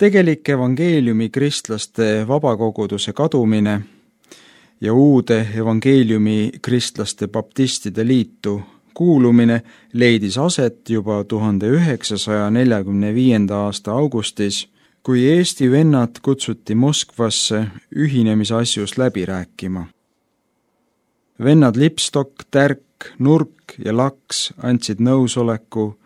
Tegelik evangeeliumi kristlaste vabakoguduse kadumine ja uude evangeeliumi kristlaste baptistide liitu kuulumine leidis aset juba 1945. aasta augustis, kui Eesti vennad kutsuti Moskvasse ühinemisasjus läbi rääkima. Vennad Lipstok, Tärk, Nurk ja Laks andsid nõusoleku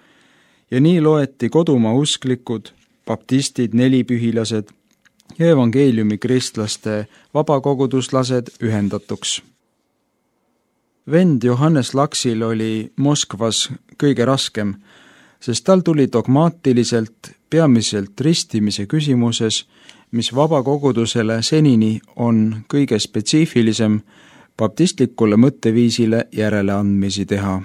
ja nii loeti kodumaa usklikud, baptistid, nelipühilased ja evangeeliumi kristlaste vabakoguduslased ühendatuks. Vend Johannes Laksil oli Moskvas kõige raskem, sest tal tuli dogmaatiliselt peamiselt ristimise küsimuses, mis vabakogudusele senini on kõige spetsiifilisem, baptistlikule mõtteviisile järeleandmisi teha.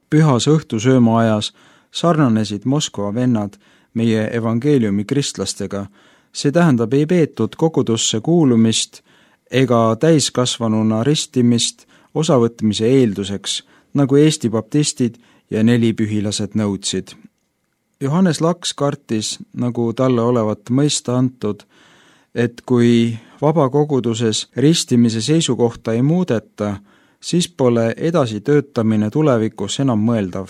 Pühas õhtusööma ajas sarnanesid Moskva vennad meie evangeeliumi kristlastega, see tähendab ei peetud kogudusse kuulumist ega täiskasvanuna ristimist osavõtmise eelduseks, nagu Eesti baptistid ja nelipühilased nõudsid. Johannes Laks kartis, nagu talle olevat mõista antud, et kui vabakoguduses ristimise seisukohta ei muudeta, siis pole edasi töötamine tulevikus enam mõeldav.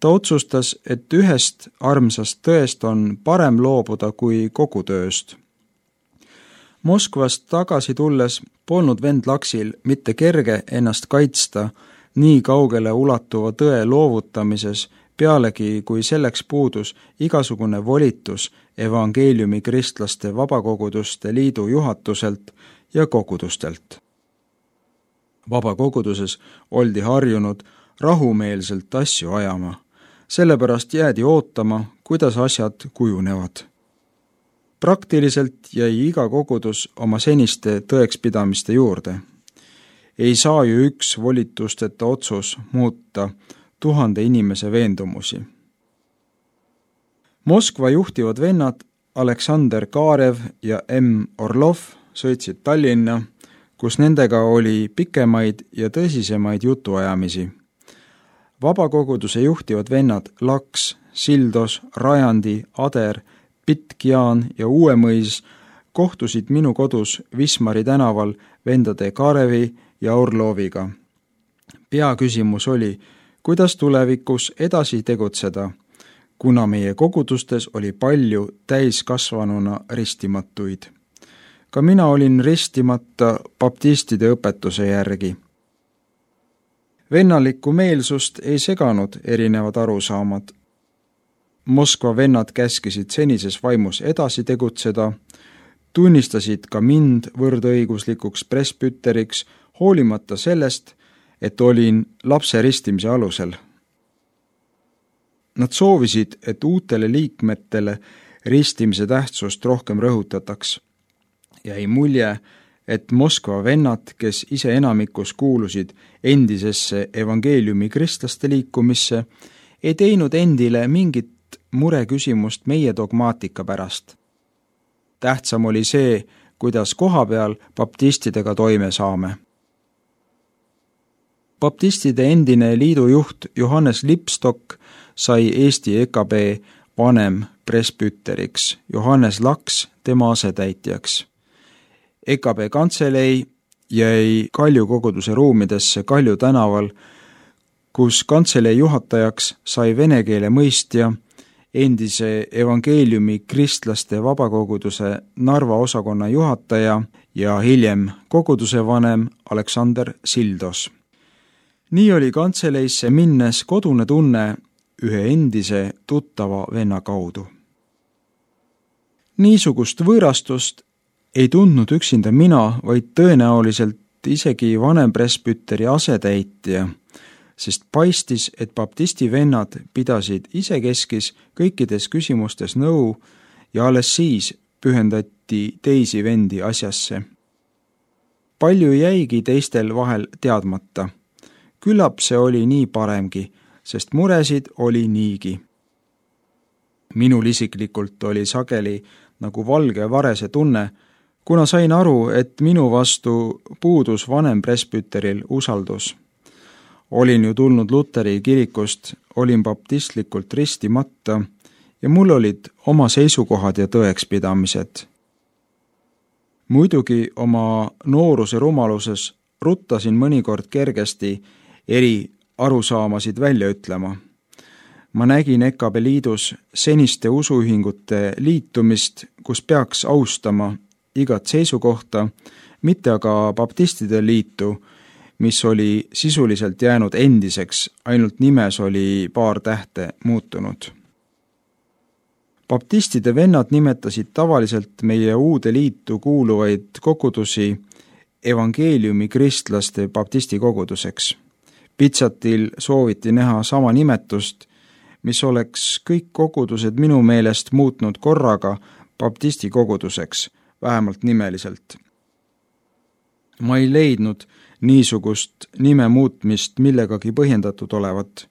Ta otsustas, et ühest armsast tõest on parem loobuda kui kogu tööst. Moskvast tagasi tulles polnud vend Laksil mitte kerge ennast kaitsta nii kaugele ulatuva tõe loovutamises, pealegi kui selleks puudus igasugune volitus evangeeliumi kristlaste vabakoguduste liidu juhatuselt ja kogudustelt. Vabakoguduses oldi harjunud rahumeelselt asju ajama, sellepärast jäädi ootama, kuidas asjad kujunevad. Praktiliselt jäi iga kogudus oma seniste tõekspidamiste juurde. Ei saa ju üks volitusteta otsus muuta 1000 inimese veendumusi. Moskva juhtivad vennad Aleksander Kaarev ja M. Orlov sõitsid Tallinna, kus nendega oli pikemaid ja tõsisemaid jutuajamisi. Vabakoguduse juhtivad vennad Laks, Sildos, Rajandi, Ader, Pitk-Jaan ja Uuemõis kohtusid minu kodus Wismari tänaval vendade Kaarevi ja Orloviga. Peaküsimus oli, kuidas tulevikus edasi tegutseda, kuna meie kogudustes oli palju täiskasvanuna ristimatuid. Ka mina olin ristimata baptistide õpetuse järgi. Vennalikku meelsust ei seganud erinevad arusaamad. Moskva vennad käskisid senises vaimus edasi tegutseda, tunnistasid ka mind võrdõiguslikuks presbüteriks, hoolimata sellest, et olin lapse ristimise alusel. Nad soovisid, et uutele liikmetele ristimise tähtsust rohkem rõhutataks. Jäi mulje, et Moskva vennad, kes ise enamikus kuulusid endisesse evangeeliumi kristlaste liikumisse, ei teinud endile mingit mureküsimust meie dogmaatika pärast. Tähtsam oli see, kuidas kohapeal baptistidega toime saame. Baptistide endine liidujuht Johannes Lipstok sai Eesti EKB vanem presbüteriks, Johannes Laks tema asetäitjaks. EKB kantselei jäi Kalju koguduse ruumidesse Kalju tänaval, kus kantselei juhatajaks sai vene keele mõistja, endise evangeeliumi kristlaste vabakoguduse Narva osakonna juhataja ja hiljem koguduse vanem Aleksander Sildos. Nii oli kantseleisse minnes kodune tunne ühe endise tuttava venna kaudu. Niisugust võõrastust ei tundnud üksinda mina, vaid tõenäoliselt isegi vanem presbüteri asetäitja, sest paistis, et baptisti vennad pidasid isekeskis kõikides küsimustes nõu ja alles siis pühendati teisi vendi asjasse. Palju jäigi teistel vahel teadmata. Küllap see oli nii paremgi, sest muresid oli niigi. Minul isiklikult oli sageli nagu valge varese tunne, kuna sain aru, et minu vastu puudus vanem presbüteril usaldus. Olin ju tulnud Luteri kirikust, olin baptistlikult ristimata ja mul olid oma seisukohad ja tõekspidamised. Muidugi oma nooruse rumaluses ruttasin mõnikord kergesti eri arusaamasid välja ütlema. Ma nägin EKB liidus seniste usuühingute liitumist, kus peaks austama igat seisukohta, mitte aga baptistide liitu, mis oli sisuliselt jäänud endiseks, ainult nimes oli paar tähte muutunud. Baptistide vennad nimetasid tavaliselt meie uude liitu kuuluvaid kogudusi evangeeliumi kristlaste baptisti koguduseks. Pitsatil sooviti näha sama nimetust, mis oleks kõik kogudused minu meelest muutnud korraga baptisti koguduseks, vähemalt nimeliselt. Ma ei leidnud niisugust nime muutmist millegagi põhjendatud olevat.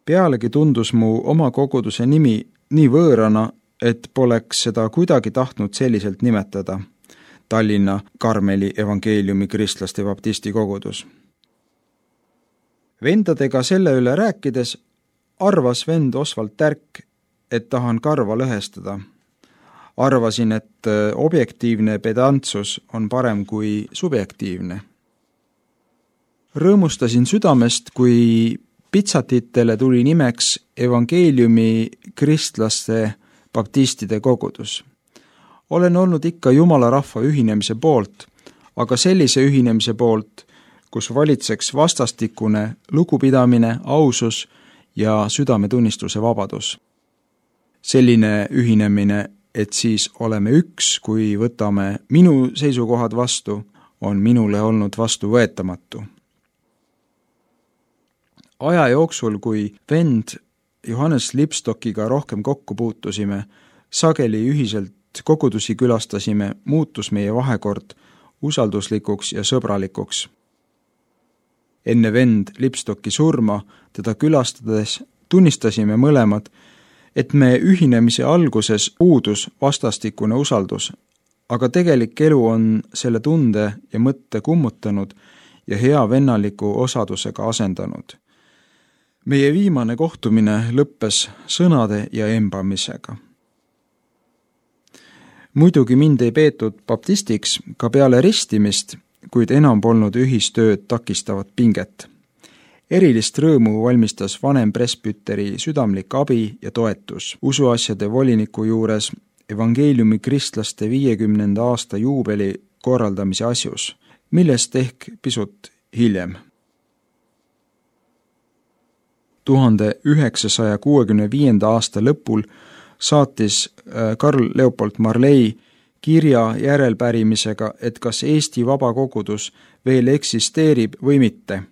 Pealegi tundus mu oma koguduse nimi nii võõrana, et poleks seda kuidagi tahtnud selliselt nimetada. Tallinna Karmeli evangeeliumi kristlaste baptisti kogudus. Vendadega selle üle rääkides arvas vend Osvald Tärk, et tahan karva lõhestada. Arvasin, et objektiivne pedantsus on parem kui subjektiivne. Rõõmustasin südamest, kui Pitsatitele tuli nimeks evangeeliumi kristlaste baptistide kogudus. Olen olnud ikka Jumala rahva ühinemise poolt, aga sellise ühinemise poolt, kus valitseks vastastikune lugupidamine, ausus ja südametunnistuse vabadus. Selline ühinemine, et siis oleme üks, kui võtame minu seisukohad vastu, on minule olnud vastuvõetamatu. Aja jooksul, kui vend Johannes Lipstockiga rohkem kokku puutusime, sageli ühiselt kogudusi külastasime, muutus meie vahekord usalduslikuks ja sõbralikuks. Enne vend Lipstocki surma teda külastades tunnistasime mõlemad, et me ühinemise alguses puudus vastastikune usaldus, aga tegelik elu on selle tunde ja mõtte kummutanud ja hea vennaliku osadusega asendanud. Meie viimane kohtumine lõppes sõnade ja embamisega. Muidugi mind ei peetud baptistiks ka peale ristimist, kuid enam polnud ühistööd takistavat pinget. Erilist rõõmu valmistas vanem presbüteri südamlik abi ja toetus usuasjade voliniku juures evangeeliumi kristlaste 50. aasta juubeli korraldamise asjus, millest ehk pisut hiljem. 1965. aasta lõpul saatis Karl Leopold Marley kirja järelpärimisega, et kas Eesti vabakogudus veel eksisteerib või mitte.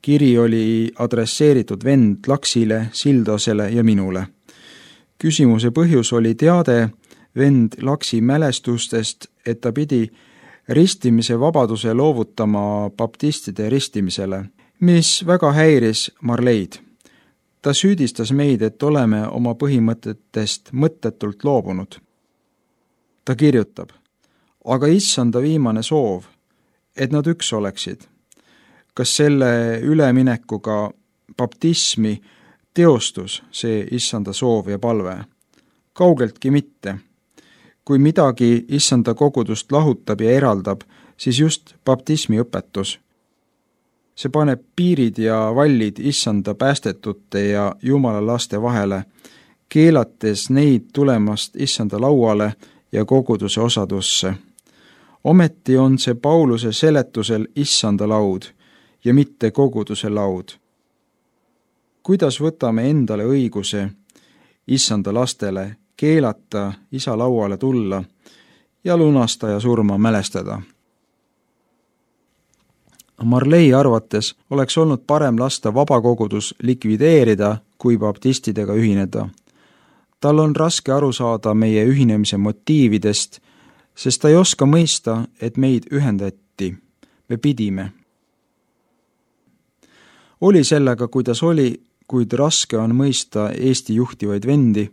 Kiri oli adresseeritud vend Laksile, Sildosele ja minule. Küsimuse põhjus oli teade vend Laksi mälestustest, et ta pidi ristimise vabaduse loovutama baptistide ristimisele, mis väga häiris Marleid. Ta süüdistas meid, et oleme oma põhimõtetest mõttetult loobunud. Ta kirjutab, aga issanda viimane soov, et nad üks oleksid. Kas selle üleminekuga baptismi teostus see issanda soov ja palve? Kaugeltki mitte. Kui midagi issanda kogudust lahutab ja eraldab, siis just baptismi õpetus. See paneb piirid ja vallid issanda päästetute ja Jumala laste vahele, keelates neid tulemast issanda lauale ja koguduse osadusse. Ometi on see Pauluse seletusel issanda laud ja mitte koguduse laud. Kuidas võtame endale õiguse issanda lastele keelata isa lauale tulla ja lunastaja surma mälestada? Marley arvates oleks olnud parem lasta vabakogudus likvideerida, kui baptistidega ühineda. Tal on raske aru saada meie ühinemise motiividest, sest ta ei oska mõista, et meid ühendati. Me pidime. Oli sellega, kuidas oli, kuid raske on mõista Eesti juhtivaid vendi,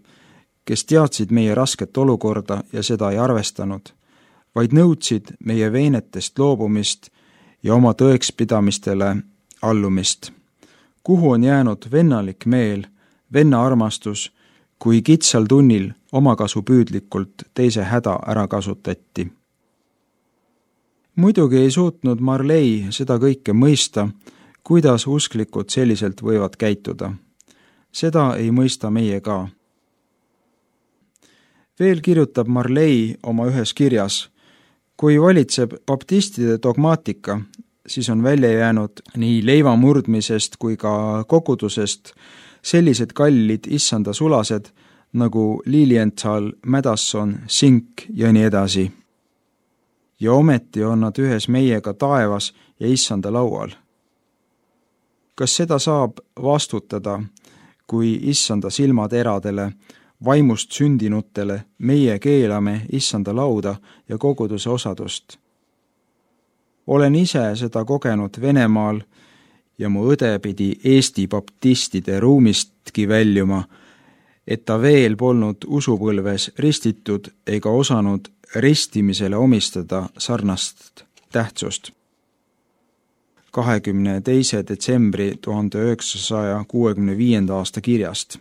kes teadsid meie rasket olukorda ja seda ei arvestanud, vaid nõudsid meie veenetest loobumist ja oma tõekspidamistele allumist. Kuhu on jäänud vennalik meel, venna armastus, kui kitsal tunnil omakasupüüdlikult teise häda ära kasutati. Muidugi ei suutnud Marley seda kõike mõista, kuidas usklikud selliselt võivad käituda. Seda ei mõista meie ka. Veel kirjutab Marley oma ühes kirjas, kui valitseb baptistide dogmaatika, siis on välja jäänud nii leiva murdmisest kui ka kogudusest sellised kallid issanda sulased nagu Lilienthal, Madison, Sink ja nii edasi. Ja ometi on nad ühes meiega taevas ja issanda laual. Kas seda saab vastutada, kui issanda silmateradele, vaimust sündinutele meie keelame issanda lauda ja koguduse osadust? Olen ise seda kogenud Venemaal ja mu õde pidi Eesti baptistide ruumistki väljuma, et ta veel polnud usupõlves ristitud ega osanud ristimisele omistada sarnast tähtsust. 22. detsembri 1965. aasta kirjast.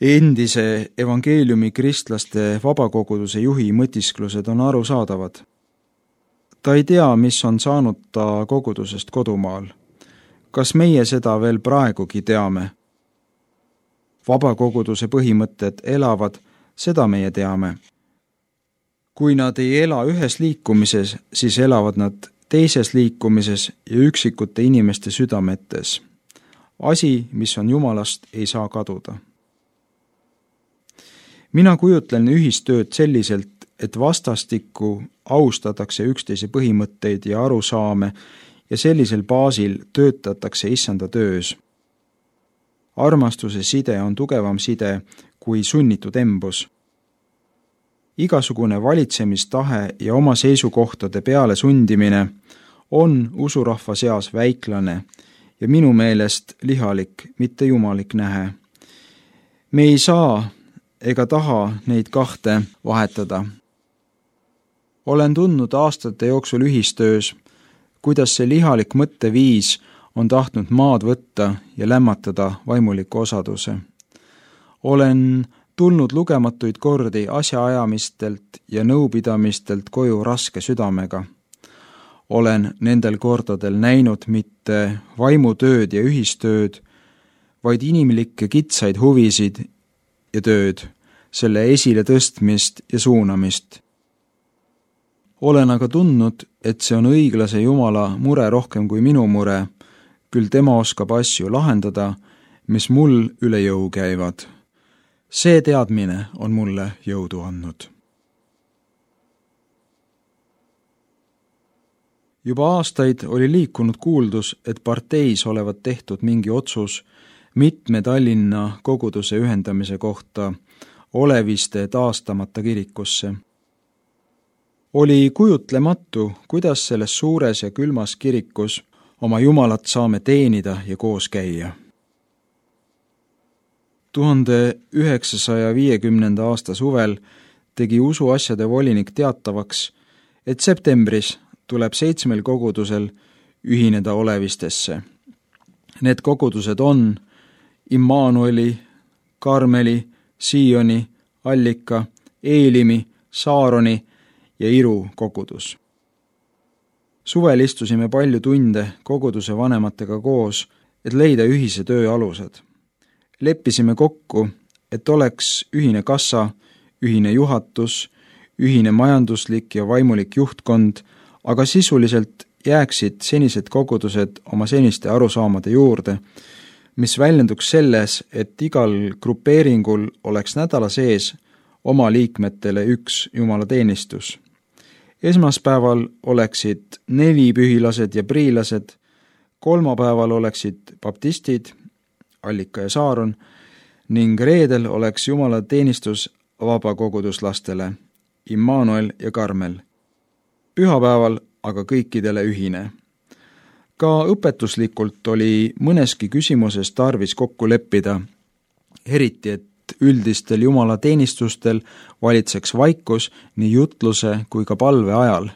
Endise evangeeliumi kristlaste vabakoguduse juhi mõtisklused on arusaadavad. Ta ei tea, mis on saanud ta kogudusest kodumaal. Kas meie seda veel praegugi teame? Vabakoguduse põhimõtted elavad, seda meie teame. Kui nad ei ela ühes liikumises, siis elavad nad teises liikumises ja üksikute inimeste südametes. Asi, mis on Jumalast, ei saa kaduda. Mina kujutlen ühistööd selliselt, et vastastikku austatakse üksteise põhimõtteid ja arusaame ja sellisel baasil töötatakse issanda töös. Armastuse side on tugevam side kui sunnitud embus. Igasugune valitsemistahe ja oma seisukohtade peale sundimine on usurahva seas väiklane ja minu meelest lihalik, mitte jumalik nähe. Me ei saa ega taha neid kahte vahetada. Olen tundnud aastate jooksul ühistöös, kuidas see lihalik mõtteviis on tahtnud maad võtta ja lämmatada vaimuliku osaduse. Olen tulnud lugematuid kordi asjaajamistelt ja nõupidamistelt koju raske südamega. Olen nendel kordadel näinud mitte vaimutööd ja ühistööd, vaid inimlikke kitsaid huvisid ja tööd, selle esile tõstmist ja suunamist. Olen aga tundnud, et see on õiglase Jumala mure rohkem kui minu mure, küll tema oskab asju lahendada, mis mul üle jõu käivad. See teadmine on mulle jõudu andnud. Juba aastaid oli liikunud kuuldus, et parteis olevat tehtud mingi otsus mitme Tallinna koguduse ühendamise kohta Oleviste taastamata kirikusse. Oli kujutlematu, kuidas selles suures ja külmas kirikus oma Jumalat saame teenida ja koos käia. 1950. aasta suvel tegi usuasjade volinik teatavaks, et septembris tuleb 7 kogudusel ühineda Olevistesse. Need kogudused on Immanueli, Karmeli, Sioni, Allika, Eelimi, Saaroni ja Iru kogudus. Suvel istusime palju tunde koguduse vanematega koos, et leida ühise töö alused. Leppisime kokku, et oleks ühine kassa, ühine juhatus, ühine majanduslik ja vaimulik juhtkond, aga sisuliselt jääksid senised kogudused oma seniste arusaamade juurde, mis väljenduks selles, et igal grupeeringul oleks nädala sees oma liikmetele üks jumalateenistus. Esmaspäeval oleksid 4 pühilased ja priilased, kolmapäeval oleksid baptistid, Allika ja Saaron, ning reedel oleks jumalateenistus vabakoguduslastele, Immanuel ja Karmel. Pühapäeval aga kõikidele ühine. Ka õpetuslikult oli mõneski küsimuses tarvis kokku leppida, eriti et üldistel jumalateenistustel valitseks vaikus nii jutluse kui ka palve ajal,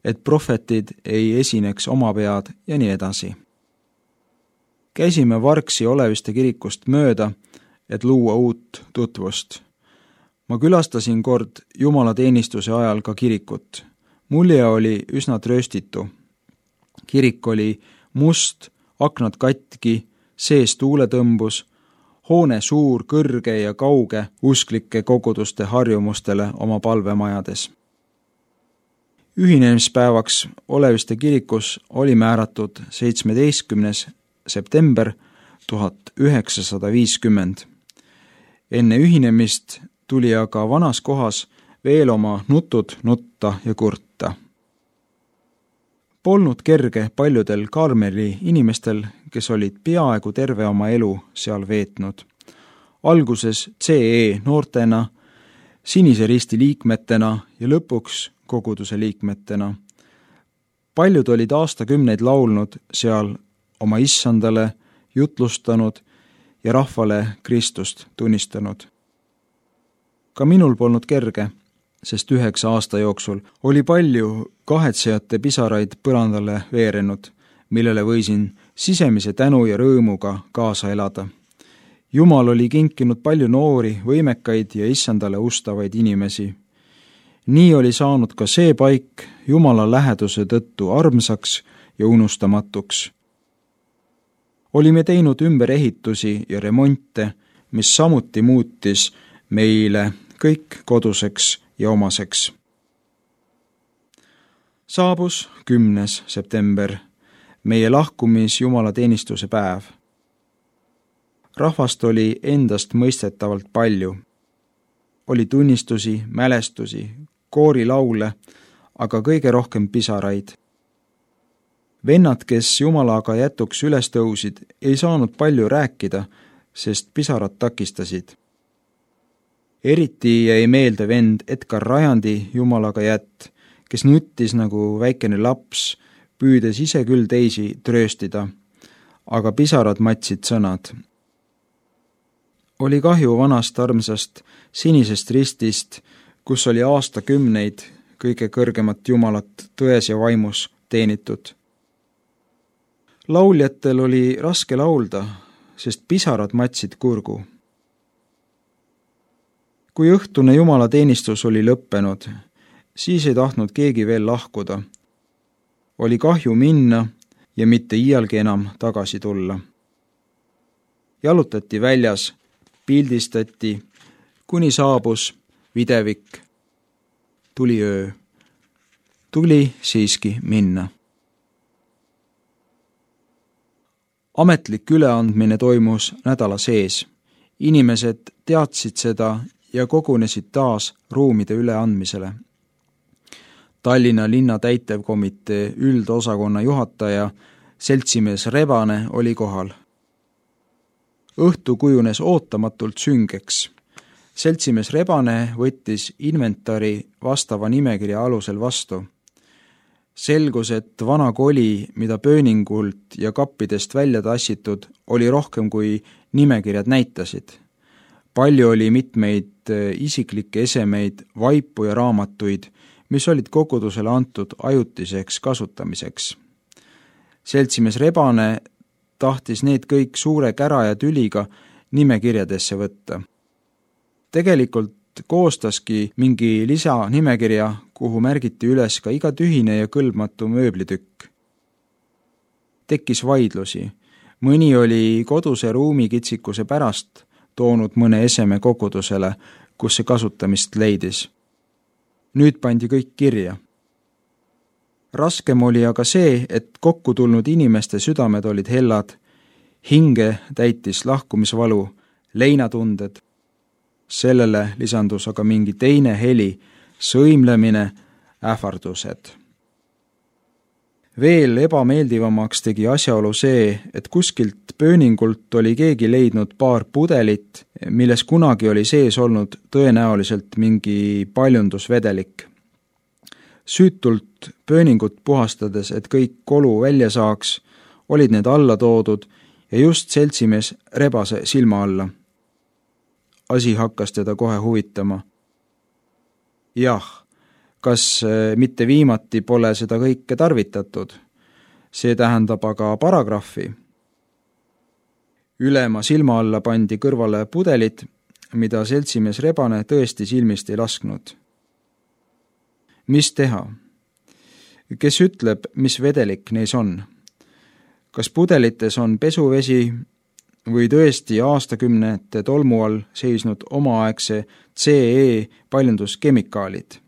et prohvetid ei esineks omapead ja nii edasi. Käisime Vargsi Oleviste kirikust mööda, et luua uut tutvust. Ma külastasin kord jumalateenistuse ajal ka kirikut. Mulje oli üsna trööstitu. Kirik oli must, aknad katki, sees tuuletõmbus, hoone suur, kõrge ja kauge usklike koguduste harjumustele oma palvemajades. Ühinemispäevaks Oleviste kirikus oli määratud 17. september 1950. Enne ühinemist tuli aga vanas kohas veel oma nutud nutta ja kurta. Polnud kerge paljudel Karmeli inimestel, kes olid peaaegu terve oma elu seal veetnud. Alguses CE noortena, Sinise Risti liikmetena ja lõpuks koguduse liikmetena. Paljud olid aastakümneid laulnud seal oma issandale, jutlustanud ja rahvale Kristust tunnistanud. Ka minul polnud kerge, sest 9 aasta jooksul oli palju kahetsejate pisaraid põrandale veerenud, millele võisin sisemise tänu ja rõõmuga kaasa elada. Jumal oli kinkinud palju noori, võimekaid ja issandale ustavaid inimesi. Nii oli saanud ka see paik Jumala läheduse tõttu armsaks ja unustamatuks. Olime teinud ümberehitusi ja remonte, mis samuti muutis meile kõik koduseks ja omaseks. Saabus 10. september, meie lahkumis jumalateenistuse päev. Rahvast oli endast mõistetavalt palju. Oli tunnistusi, mälestusi, koorilaule, aga kõige rohkem pisaraid. Vennad, kes Jumalaga jätuks üles tõusid, ei saanud palju rääkida, sest pisarad takistasid. Eriti jäi meelde vend Edgar Rajandi Jumalaga jätt, kes nuttis nagu väikene laps, püüdes ise küll teisi trööstida, aga pisarad matsid sõnad. Oli kahju vanast armsast Sinisest Ristist, kus oli aastakümneid kõige kõrgemat Jumalat tões ja vaimus teenitud. Lauljatel oli raske laulda, sest pisarad matsid kurgu. Kui õhtune jumalateenistus oli lõppenud, siis ei tahtnud keegi veel lahkuda. Oli kahju minna ja mitte iialgi enam tagasi tulla. Jalutati väljas, pildistati, kuni saabus videvik. Tuli öö. Tuli siiski minna. Ametlik üleandmine toimus nädala sees. Inimesed teadsid seda ja kogunesid taas ruumide üleandmisele. Tallinna linna täitevkomitee üldosakonna juhataja seltsimees Rebane oli kohal. Õhtu kujunes ootamatult süngeks. Seltsimees Rebane võttis inventari vastava nimekirja alusel vastu. Selgus, et vana koli, mida pööningult ja kappidest välja tassitud, oli rohkem kui nimekirjad näitasid. Palju oli mitmeid isiklikke esemeid, vaipu ja raamatuid, mis olid kogudusele antud ajutiseks kasutamiseks. Seltsimees Rebane tahtis need kõik suure kära ja tüliga nimekirjadesse võtta. Tegelikult koostaski mingi lisanimekirja, kuhu märgiti üles ka iga tühine ja kõlbmatu mööblitükk. Tekkis vaidlusi. Mõni oli koduse ruumikitsikuse pärast toonud mõne eseme kogudusele, kus see kasutamist leidis. Nüüd pandi kõik kirja. Raskem oli aga see, et kokku tulnud inimeste südamed olid hellad, hinge täitis lahkumisvalu, leinatunded. Sellele lisandus aga mingi teine heli, sõimlemine, ähvardused. Veel ebameeldivamaks tegi asjaolu see, et kuskilt pööningult oli keegi leidnud paar pudelit, milles kunagi oli sees olnud tõenäoliselt mingi paljundusvedelik. Süütult pööningut puhastades, et kõik kolu välja saaks, olid need alla toodud ja just seltsimees Rebase silma alla. Asi hakkas teda kohe huvitama. Jah, kas mitte viimati pole seda kõike tarvitatud? See tähendab aga paragrahvi. Ülema silma alla pandi kõrvale pudelid, mida seltsimees Rebane tõesti silmist ei lasknud. Mis teha? Kes ütleb, mis vedelik neis on? Kas pudelites on pesuvesi või tõesti aastakümnete tolmu all seisnud omaaegse CE paljunduskemikaalid?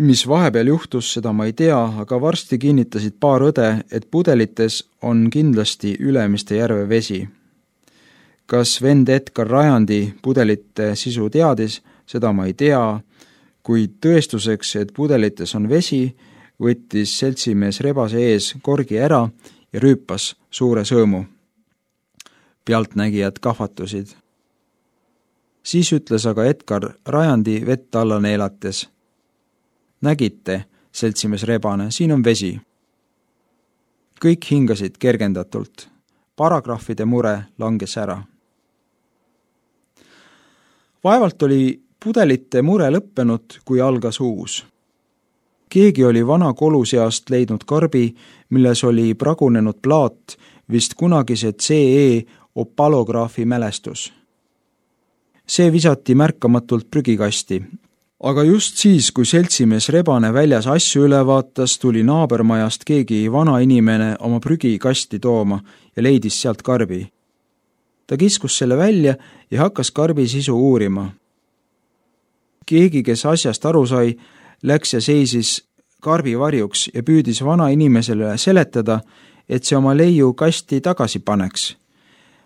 Mis vahepeal juhtus, seda ma ei tea, aga varsti kinnitasid paar õde, et pudelites on kindlasti Ülemiste järve vesi. Kas vend Edgar Rajandi pudelite sisu teadis, seda ma ei tea, kuid tõestuseks, et pudelites on vesi, võttis seltsimees Rebase ees korgi ära ja rüüpas suure sõõmu. Pealtnägijad kahvatusid. Siis ütles aga Edgar Rajandi vett alla neelates. Nägite, seltsimees Rebane, siin on vesi. Kõik hingasid kergendatult. Paragrahvide mure langes ära. Vaevalt oli pudelite mure lõppenud, kui algas uus. Keegi oli vana kolu seast leidnud karbi, milles oli pragunenud plaat, vist kunagise CE opalograafi mälestus. See visati märkamatult prügikasti, aga just siis, kui seltsimees Rebane väljas asju üle vaatas, tuli naabermajast keegi vana inimene oma prügikasti tooma ja leidis sealt karbi. Ta kiskus selle välja ja hakkas karbi sisu uurima. Keegi, kes asjast aru sai, läks ja seisis karbi varjuks ja püüdis vana inimesele seletada, et see oma leiu kasti tagasi paneks.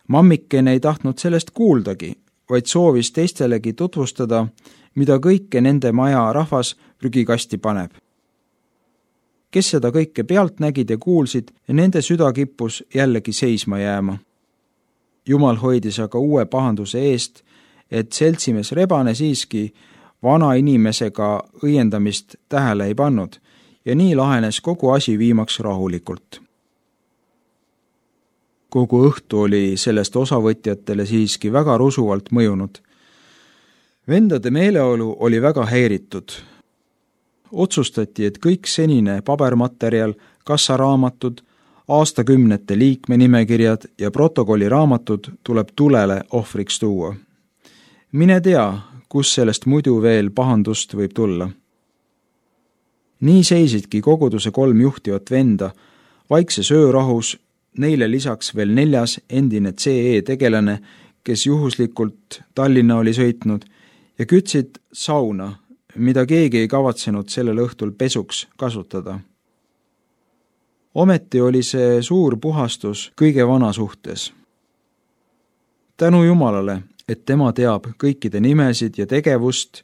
Mammikene ei tahtnud sellest kuuldagi, vaid soovis teistelegi tutvustada, mida kõike nende maja rahvas prügikasti paneb. Kes seda kõike pealt nägid ja kuulsid, ja nende süda kippus jällegi seisma jääma. Jumal hoidis aga uue pahanduse eest, et seltsimees Rebane siiski vana inimesega õiendamist tähele ei pannud ja nii lahenes kogu asi viimaks rahulikult. Kogu õhtu oli sellest osavõtjatele siiski väga rusuvalt mõjunud. Vendade meeleolu oli väga häiritud. Otsustati, et kõik senine pabermaterjal, kassaraamatud, aastakümnete liikmenimekirjad ja protokolliraamatud tuleb tulele ohvriks tuua. Mine tea, kus sellest muidu veel pahandust võib tulla. Nii seisidki koguduse 3 juhtivat venda, vaikses öörahus, neile lisaks veel 4 endine CE tegelane, kes juhuslikult Tallinna oli sõitnud, ja kütsid sauna, mida keegi ei kavatsenud sellel õhtul pesuks kasutada. Ometi oli see suur puhastus kõige vana suhtes. Tänu Jumalale, et tema teab kõikide nimesid ja tegevust,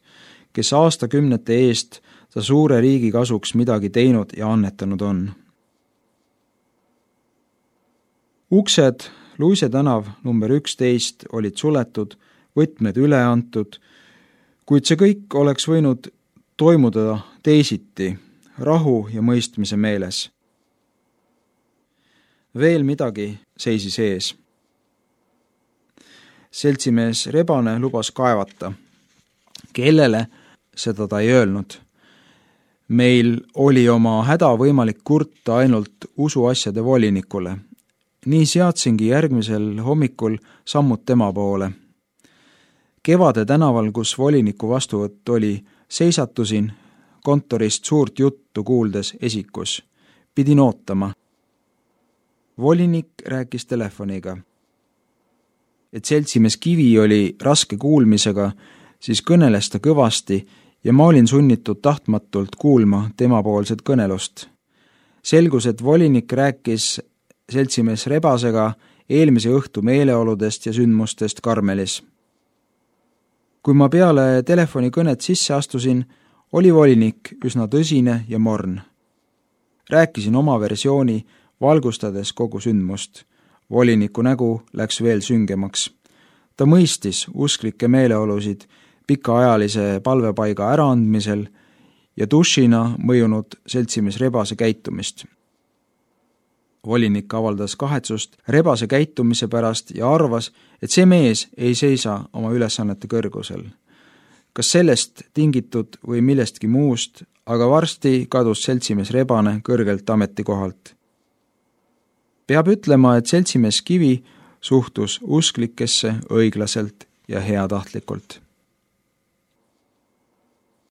kes aastakümnete eest ta suure riigi kasuks midagi teinud ja annetanud on. Uksed Luise tänav number 11 olid suletud, võtmed üle antud, kuid see kõik oleks võinud toimuda teisiti, rahu ja mõistmise meeles. Veel midagi seisis ees. Seltsimees Rebane lubas kaevata. Kellele, seda ta ei öelnud. Meil oli oma häda võimalik kurta ainult usuasjade volinikule. Nii seadsingi järgmisel hommikul sammud tema poole. Kevade tänaval, kus voliniku vastuvõtt oli, seisatusin kontorist suurt juttu kuuldes esikus. Pidin ootama. Volinik rääkis telefoniga. Et seltsimees Kivi oli raske kuulmisega, siis kõneles ta kõvasti ja ma olin sunnitud tahtmatult kuulma temapoolset kõnelust. Selgus, et volinik rääkis seltsimees Rebasega eelmise õhtu meeleoludest ja sündmustest Karmelis. Kui ma peale telefonikõnet sisse astusin, oli volinik üsna tõsine ja morn. Rääkisin oma versiooni, valgustades kogu sündmust. Voliniku nägu läks veel süngemaks. Ta mõistis usklikke meeleolusid pikaajalise palvepaiga äraandmisel ja dušina mõjunud seltsimees Rebase käitumist. Volinik avaldas kahetsust Rebase käitumise pärast ja arvas, et see mees ei seisa oma ülesannete kõrgusel. Kas sellest tingitud või millestki muust, aga varsti kadus seltsimees Rebane kõrgelt ametikohalt. Peab ütlema, et seltsimees Kivi suhtus usklikesse õiglaselt ja heatahtlikult.